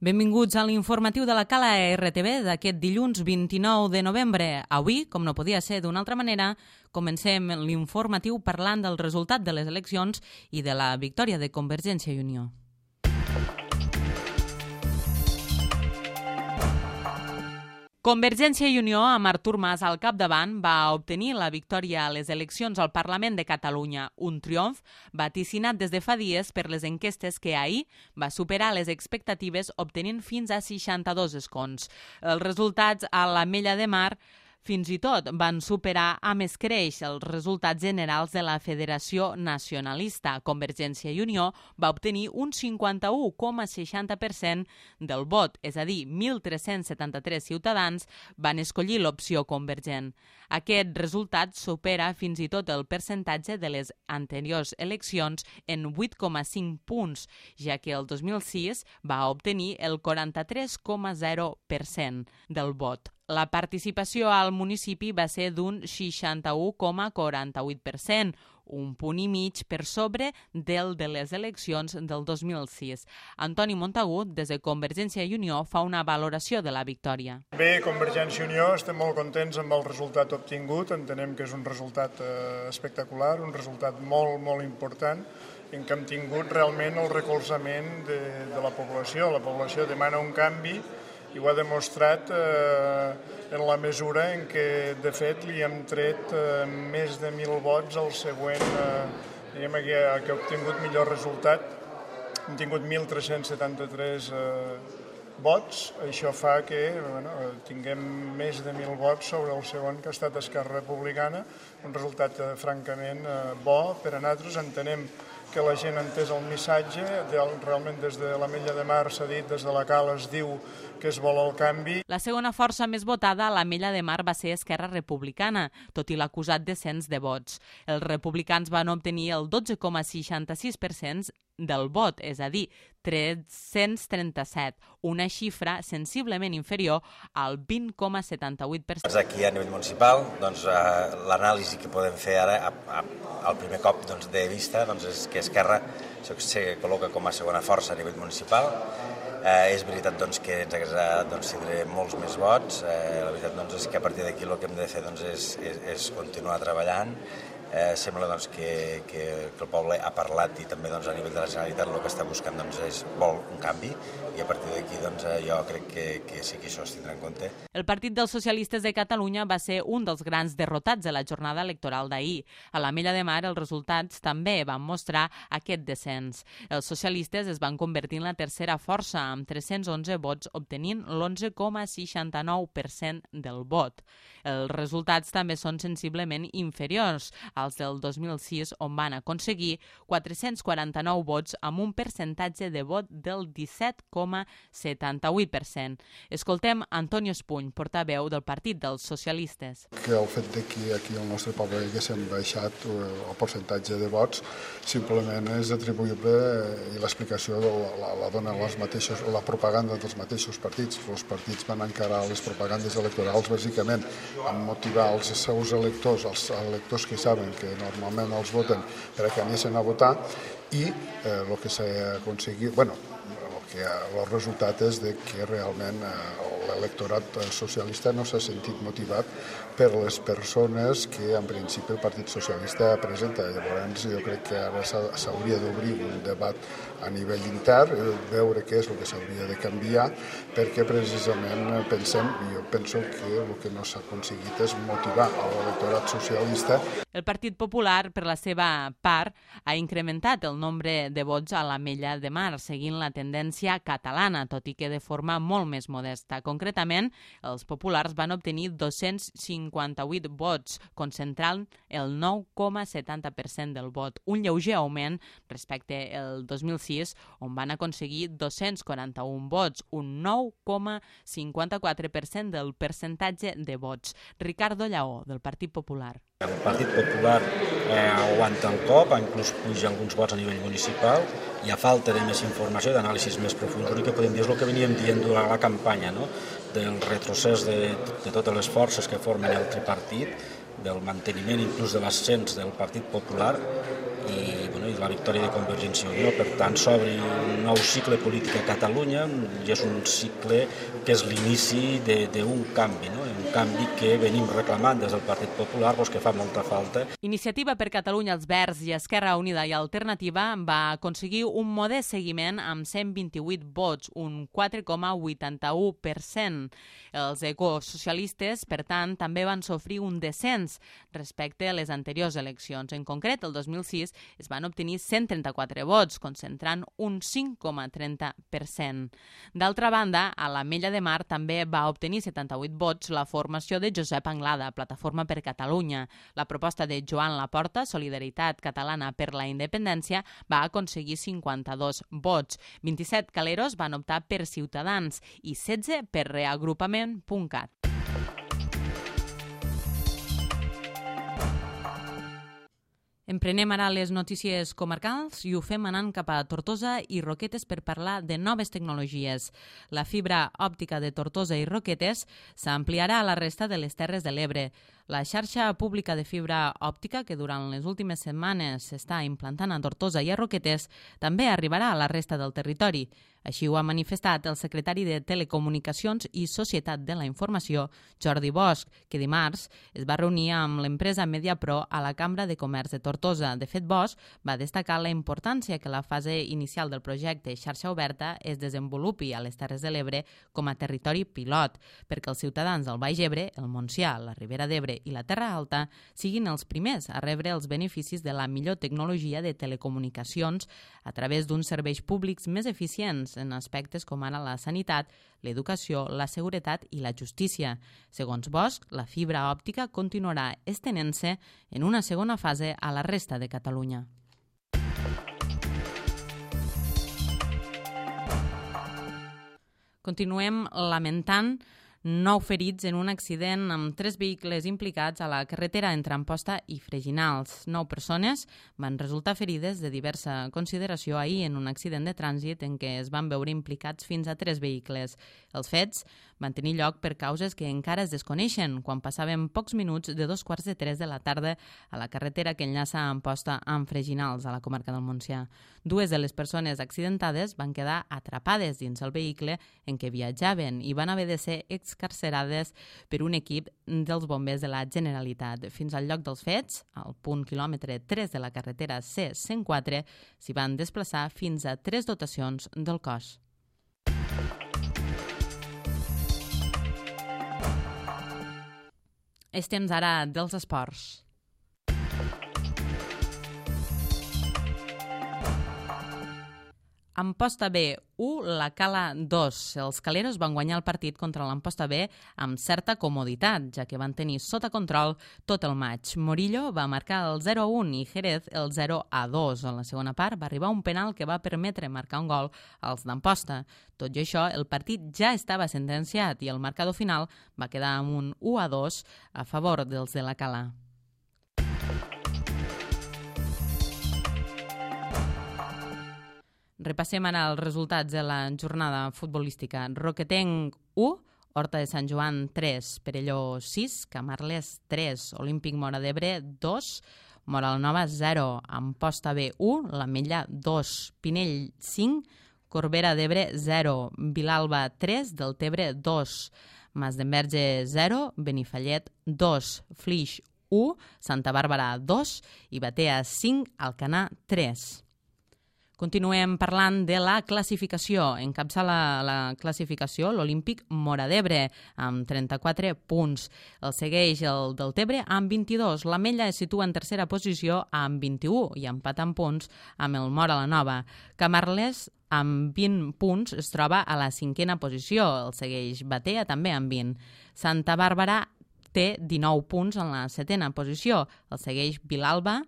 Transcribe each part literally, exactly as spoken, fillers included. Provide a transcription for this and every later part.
Benvinguts a l'informatiu de la Cala R T V d'aquest dilluns vint-i-nou de novembre. Avui, com no podia ser d'una altra manera, comencem l'informatiu parlant del resultat de les eleccions i de la victòria de Convergència i Unió. Convergència i Unió, amb Artur Mas al capdavant, va obtenir la victòria a les eleccions al Parlament de Catalunya, un triomf vaticinat des de fa dies per les enquestes que ahir va superar les expectatives obtenint fins a seixanta-dos escons. Els resultats a l'Ametlla de Mar fins i tot van superar amb escreix els resultats generals de la Federació Nacionalista. Convergència i Unió va obtenir un cinquanta-u coma seixanta per cent del vot, és a dir, mil tres-cents setanta-tres ciutadans van escollir l'opció convergent. Aquest resultat supera fins i tot el percentatge de les anteriors eleccions en vuit coma cinc punts, ja que el dos mil sis va obtenir el quaranta-tres coma zero per cent del vot. La participació al municipi va ser d'un seixanta-u coma quaranta-vuit per cent, un punt i mig per sobre del de les eleccions del dos mil sis. Antoni Montagut, des de Convergència i Unió, fa una valoració de la victòria. Bé, Convergència i Unió estem molt contents amb el resultat obtingut. Entenem que és un resultat eh, espectacular, un resultat molt, molt important, en què hem tingut realment el recolzament de, de la població. La població demana un canvi i ho ha demostrat eh, en la mesura en què, de fet, li hem tret eh, més de mil vots al següent, eh, diguem que, que ha obtingut millor resultat. Hem tingut mil tres-cents setanta-tres eh, vots, això fa que bueno, tinguem més de mil vots sobre el segon, que ha estat Esquerra Republicana, un resultat eh, francament eh, bo per a nosaltres. Entenem que la gent ha entès el missatge, realment des de l'Ametlla de Mar s'ha dit, des de la Cala es diu que es vol el canvi. La segona força més votada a l'Ametlla de Mar va ser Esquerra Republicana, tot i l'acusat descens de vots. Els republicans van obtenir el dotze coma seixanta-sis per cent del vot, és a dir, tres-cents trenta-set, una xifra sensiblement inferior al vint coma setanta-vuit per cent. Aquí a nivell municipal, doncs, eh, l'anàlisi que podem fer ara, a, a, al primer cop doncs, de vista, doncs, és que Esquerra se col·loca com a segona força a nivell municipal. Eh, és veritat doncs, que ens hagués agradat doncs, tindre molts més vots. Eh, la veritat doncs, és que a partir d'aquí el que hem de fer doncs, és, és, és continuar treballant. Eh, sembla doncs, que, que, que el poble ha parlat i també doncs, a nivell de la Generalitat el que està buscant doncs, és vol un canvi i a partir d'aquí doncs, jo crec que, que sí que això es tindrà en compte. El Partit dels Socialistes de Catalunya va ser un dels grans derrotats de la jornada electoral d'ahir. A l'Ametlla de Mar els resultats també van mostrar aquest descens. Els socialistes es van convertir en la tercera força amb tres-cents onze vots obtenint l'onze coma seixanta-nou per cent del vot. Els resultats també són sensiblement inferiors als del dos mil sis, on van aconseguir quatre-cents quaranta-nou vots amb un percentatge de vot del disset coma setanta-vuit per cent. Escoltem Antonio Espuny, portaveu del Partit dels Socialistes. Que el fet de que aquí al nostre poble haguéssim baixat el percentatge de vots simplement és atribuïble i l'explicació la, la dona les mateixos, la propaganda dels mateixos partits. Els partits van encarar les propagandes electorals bàsicament a motivar els seus electors, els electors que saben que normalment els voten per a que anessin a votar i eh, el que s'ha aconseguit, bueno, el, que, el resultat és de que realment eh, l'electorat socialista no s'ha sentit motivat per les persones que en principi el Partit Socialista presenta. Llavors jo crec que ara s'hauria d'obrir un debat a nivell intern, veure què és el que s'hauria de canviar, perquè precisament pensem, jo penso que el que no s'ha aconseguit és motivar l'electorat socialista. El Partit Popular, per la seva part, ha incrementat el nombre de vots a l'Ametlla de Mar, seguint la tendència catalana, tot i que de forma molt més modesta. Concretament, els populars van obtenir dos-cents cinquanta-vuit vots, concentrant el nou coma setanta per cent del vot, un lleuger augment respecte al dos mil sis, on van aconseguir dos-cents quaranta-un vots, un nou coma cinquanta-quatre per cent del percentatge de vots. Ricardo Lleó, del Partit Popular. El Partit Popular eh, aguanta el cop, inclús puja alguns vots a nivell municipal, i a falta de més informació, d'anàlisis més profunds, l'únic que podem dir és el que veníem dient durant la campanya, no? Del retrocés de, de totes les forces que formen el tripartit, del manteniment inclús de l'ascens del Partit Popular i, bueno, i la victòria de Convergència i Unió. Per tant, s'obre un nou cicle polític a Catalunya i és un cicle que és l'inici d'un canvi, no? Un canvi que venim reclamant des del Partit Popular, doncs, que fa molta falta. Iniciativa per Catalunya, els Verds i Esquerra Unida i Alternativa va aconseguir un modest seguiment amb cent vint-i-vuit vots, un quatre coma vuitanta-u per cent. Els ecosocialistes, per tant, també van sofrir un descens respecte a les anteriors eleccions. En concret, el dos mil sis es van obtenir cent trenta-quatre vots, concentrant un cinc coma trenta per cent. D'altra banda, a l'Ametlla de Mar també va obtenir setanta-vuit vots la formació de Josep Anglada, Plataforma per Catalunya. La proposta de Joan Laporta, Solidaritat Catalana per la Independència, va aconseguir cinquanta-dos vots. vint-i-set caleros van optar per Ciutadans i setze per reagrupament punt cat. Emprenem ara les notícies comarcals i ho fem anant cap a Tortosa i Roquetes per parlar de noves tecnologies. La fibra òptica de Tortosa i Roquetes s'ampliarà a la resta de les Terres de l'Ebre. La xarxa pública de fibra òptica, que durant les últimes setmanes s'està implantant a Tortosa i a Roquetes, també arribarà a la resta del territori. Així ho ha manifestat el secretari de Telecomunicacions i Societat de la Informació, Jordi Bosch, que dimarts es va reunir amb l'empresa Mediapro a la Cambra de Comerç de Tortosa. De fet, Bosch va destacar la importància que la fase inicial del projecte Xarxa Oberta es desenvolupi a les Terres de l'Ebre com a territori pilot, perquè els ciutadans del Baix Ebre, el Montsià, la Ribera d'Ebre i la Terra Alta siguin els primers a rebre els beneficis de la millor tecnologia de telecomunicacions a través d'uns serveis públics més eficients en aspectes com ara la sanitat, l'educació, la seguretat i la justícia. Segons Bosch, la fibra òptica continuarà estenent-se en una segona fase a la resta de Catalunya. Continuem lamentant nou ferits en un accident amb tres vehicles implicats a la carretera entre Amposta i Freginals. Nou persones van resultar ferides de diversa consideració ahir en un accident de trànsit en què es van veure implicats fins a tres vehicles. Els fets van tenir lloc per causes que encara es desconeixen quan passaven pocs minuts de dos quarts de tres de la tarda a la carretera que enllaça Amposta amb Freginals, a la comarca del Montsià. Dues de les persones accidentades van quedar atrapades dins el vehicle en què viatjaven i van haver de ser excarcerades per un equip dels bombers de la Generalitat. Fins al lloc dels fets, al punt quilòmetre tres de la carretera C cent quatre, s'hi van desplaçar fins a tres dotacions del cos. És temps ara dels esports. Amposta B u, la Cala dos. Els caleros van guanyar el partit contra l'Amposta B amb certa comoditat, ja que van tenir sota control tot el maig. Morillo va marcar el zero a un i Jerez el zero a dos. En la segona part va arribar un penal que va permetre marcar un gol als d'Amposta. Tot i això, el partit ja estava sentenciat i el marcador final va quedar amb un u a dos a favor dels de la Cala. Repassem ara els resultats de la jornada futbolística. Roquetenc u, Horta de Sant Joan tres, Perelló sis, Camarles tres, Olímpic Móra d'Ebre dos, Móra la Nova zero, Amposta B u, l'Ametlla dos, Pinell cinc, Corbera d'Ebre zero, Vilalba tres, Deltebre dos, Mas d'Enverge zero, Benifallet dos, Flix u, Santa Bàrbara dos i Batea cinc, Alcanar tres. Continuem parlant de la classificació. Encapçala la classificació l'Olímpic Móra d'Ebre amb trenta-quatre punts. El segueix el Deltebre amb vint-i-dos. L'Ametlla es situa en tercera posició amb vint-i-u i empat en punts amb el Móra la Nova. Camarles amb vint punts es troba a la cinquena posició. El segueix Batea també amb vint. Santa Bàrbara té dinou punts en la setena posició. El segueix Vilalba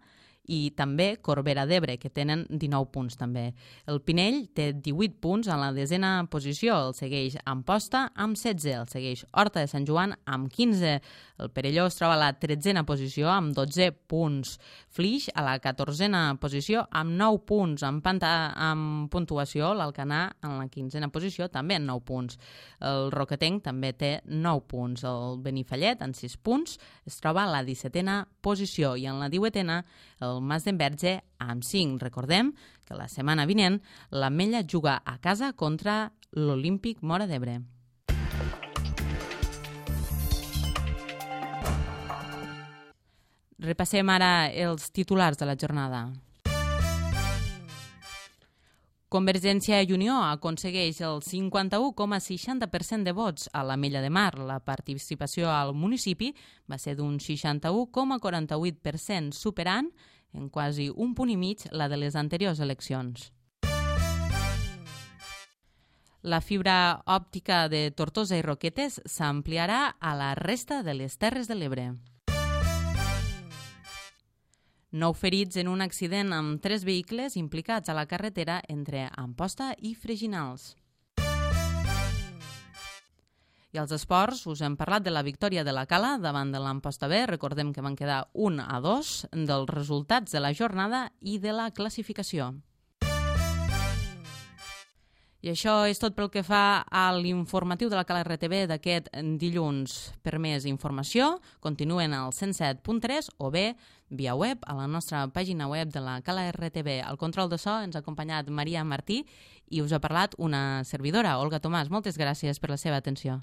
i també Corbera d'Ebre, que tenen dinou punts també. El Pinell té divuit punts en la desena posició, el segueix Amposta amb setze, el segueix Horta de Sant Joan amb quinze, el Perelló es troba a la tretzena posició amb dotze punts, Flix a la catorzena posició amb nou punts, amb, panta, amb puntuació, l'Alcanar en la quinzena posició també amb nou punts, el Roquetenc també té nou punts, el Benifallet amb sis punts es troba a la dissetena posició i en la divuitena el el Mas d'Enverge amb cinc. Recordem que la setmana vinent l'Ametlla juga a casa contra l'Olímpic Móra d'Ebre. Repassem ara els titulars de la jornada. Convergència i Unió aconsegueix el cinquanta-u coma seixanta per cent de vots a l'Ametlla de Mar. La participació al municipi va ser d'un seixanta-u coma quaranta-vuit per cent, superant en quasi un punt i mig la de les anteriors eleccions. La fibra òptica de Tortosa i Roquetes s'ampliarà a la resta de les Terres de l'Ebre. Nou ferits en un accident amb tres vehicles implicats a la carretera entre Amposta i Freginals. I als esports us hem parlat de la victòria de la Cala davant de l'Amposta B. Recordem que van quedar un a dos, dels resultats de la jornada i de la classificació. I això és tot pel que fa a l'informatiu de la Cala R T V d'aquest dilluns. Per més informació, continuen al cent set punt tres o bé via web a la nostra pàgina web de la Cala R T V. Al control de so ens ha acompanyat Maria Martí i us ha parlat una servidora, Olga Tomàs. Moltes gràcies per la seva atenció.